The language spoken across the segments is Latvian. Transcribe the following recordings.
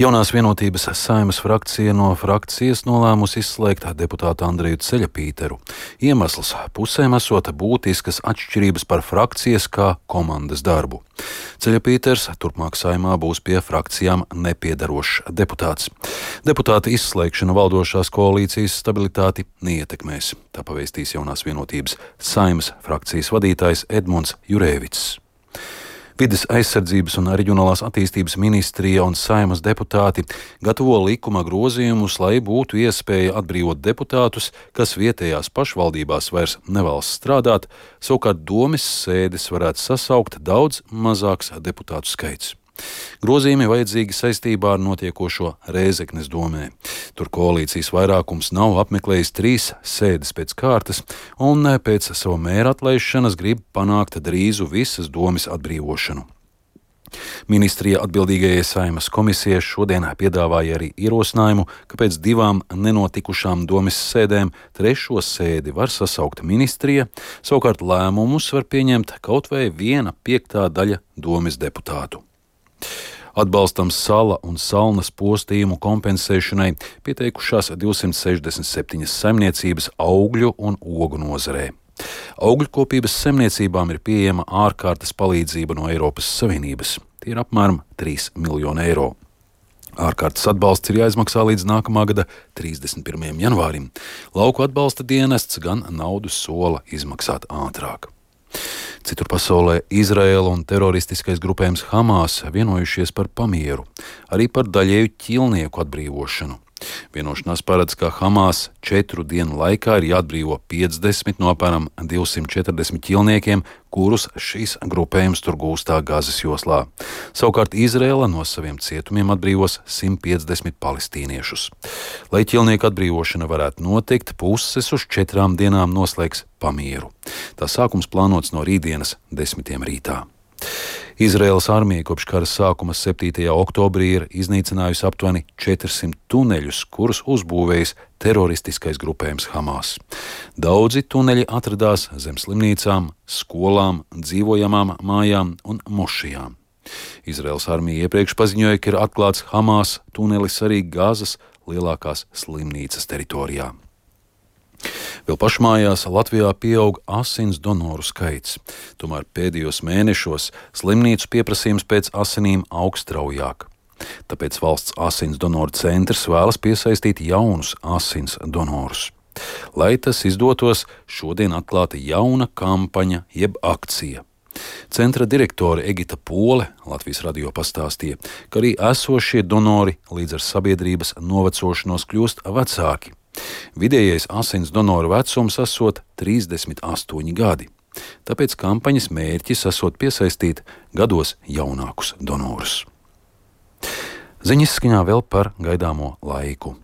Jaunās vienotības Saeimas frakcija no frakcijas nolēmusi izslēgt deputātu Andreju Ceļapīteru. Iemesls pusēm esot būtiskas atšķirības par frakcijas kā komandas darbu. Ceļapīters turpmāk Saeimā būs pie frakcijām nepiedarošs deputāts. Deputāta izslēgšana valdošās koalīcijas stabilitāti neietekmēs. Tā pavēstīs Jaunās vienotības Saeimas frakcijas vadītājs Edmunds Jurēvics. Vides aizsardzības un reģionālās attīstības ministrija un Saeimas deputāti gatavo likuma grozījumus, lai būtu iespēja atbrīvot deputātus, kas vietējās pašvaldībās vairs nevēlas strādāt, savukārt domes sēdes varētu sasaukt daudz mazāks deputātu skaits. Grozījumi vajadzīgi saistībā ar notiekošo Rēzeknes domē. Tur koalīcijas vairākums nav apmeklējis 3 sēdes pēc kārtas un pēc savu mēra atlaišanas grib panākt drīzu visas domes atbrīvošanu. Ministrija atbildīgajai Saeimas komisijai šodien piedāvāja arī ierosinājumu, ka pēc 2 nenotikušām domes sēdēm 3. sēdi var sasaukt ministrija, savukārt lēmumus var pieņemt kaut vai 1/5 daļa domes deputātu. Atbalstam sala un salnas postījumu kompensēšanai pieteikušās 267 saimniecības augļu un ogu nozarē. Augļukopības saimniecībām ir pieejama ārkārtas palīdzība no Eiropas Savienības. Tie ir apmēram 3 miljoni eiro. Ārkārtas atbalsts ir jāizmaksā līdz nākamā gada 31. janvārim. Lauku atbalsta dienests gan naudu sola izmaksāt ātrāk. Citur pasaulē Izraēla un teroristiskais grupējums Hamas vienojušies par pamieru, arī par daļēju ķīlnieku atbrīvošanu. Vienošanās paredz, ka Hamas 4 dienu laikā ir jāatbrīvo 50 no apmēram 240 ķīlniekiem, kurus šīs grupējums tur gūstā Gazas joslā. Savukārt Izraēla no saviem cietumiem atbrīvos 150 palestīniešus. Lai ķīlnieku atbrīvošana varētu notikt, puses uz 4 dienām noslēgs pamieru. Tā sākums plānots no rītdienas 10 rītā. Izraēlas armija kopš kara sākuma 7. oktobrī ir iznīcinājusi aptuveni 400 tuneļus, kurus uzbūvējis teroristiskais grupējums Hamas. Daudzi tuneļi atradās zem slimnīcām, skolām, dzīvojamām mājām un mošijām. Izraēlas armija iepriekš paziņoja, ka ir atklāts Hamas tunelis arī Gazas lielākās slimnīcas teritorijā. Vēl pašmājās Latvijā pieaug asins donoru skaits. Tomēr pēdējos mēnešos slimnīcu pieprasījums pēc asinīm aug straujāk. Tāpēc valsts asins donoru centrs vēlas piesaistīt jaunus asins donorus. Lai tas izdotos, šodien atklāta jauna kampaņa jeb akcija. Centra direktore Egita Pole Latvijas radio pastāstīja, ka arī esošie donori līdz ar sabiedrības novecošanos kļūst vecāki. Vidējais asins donoru vecums esot 38 gadi, tāpēc kampaņas mērķis esot piesaistīt gados jaunākus donorus. Ziņas skaņā vēl par gaidāmo laiku.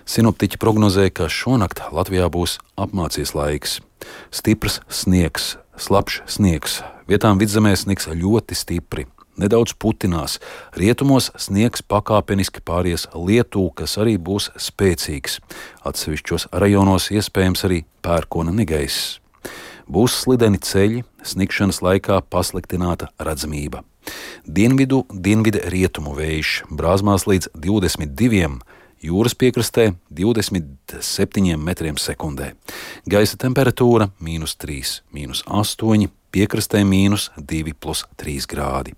Sinoptiķi prognozē, ka šonakt Latvijā būs apmācies laiks. Stiprs sniegs, slapjš sniegs, vietām vidzemē sniegs ļoti stipri. Nedaudz putinās, rietumos sniegs pakāpeniski pāries lietu, kas arī būs spēcīgs. Atsevišķos rajonos iespējams arī pērkona negaiss. Būs slideni ceļi, snikšanas laikā pasliktināta redzamība. Dienvidu rietumu vējš brāzmās līdz 22, jūras piekrastē 27 metriem sekundē. Gaisa temperatūra -3, -8, piekrastē -2+3 grādi.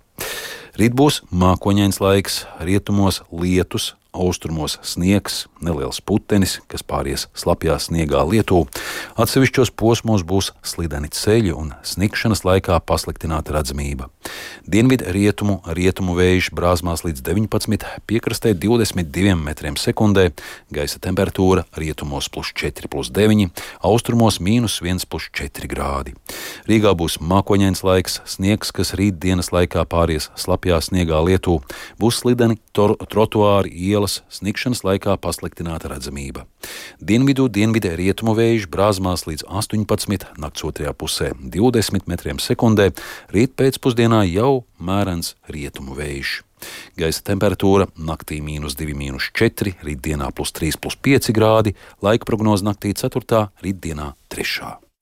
Rīt būs mākoņains laiks, rietumos lietus, austrumos sniegs, neliels putenis, kas pāries slapjā sniegā lietū. Atsevišķos posmos būs slideni ceļi un snikšanas laikā pasliktināta redzamība. Rietumu vējš brāzmās līdz 19, piekrastē 22 metriem sekundē, gaisa temperatūra rietumos +4+9, austrumos -1+4 grādi. Rīgā būs mākoņains laiks, sniegs, kas rītdienas laikā pāries slapjā sniegā lietū, būs slideni trotuāri, ielas, snikšanas laikā pasliktināta redzamība. Dienvidu rietumu vējš brāzmās līdz 18, nakts otrajā pusē 20 metriem sekundē, rīt pēcpusdienā jau mērens rietumu vējš. Gaisa temperatūra naktī -2, -4, rītdienā +3+5 grādi, laika prognoze naktī 4., rītdienā 3.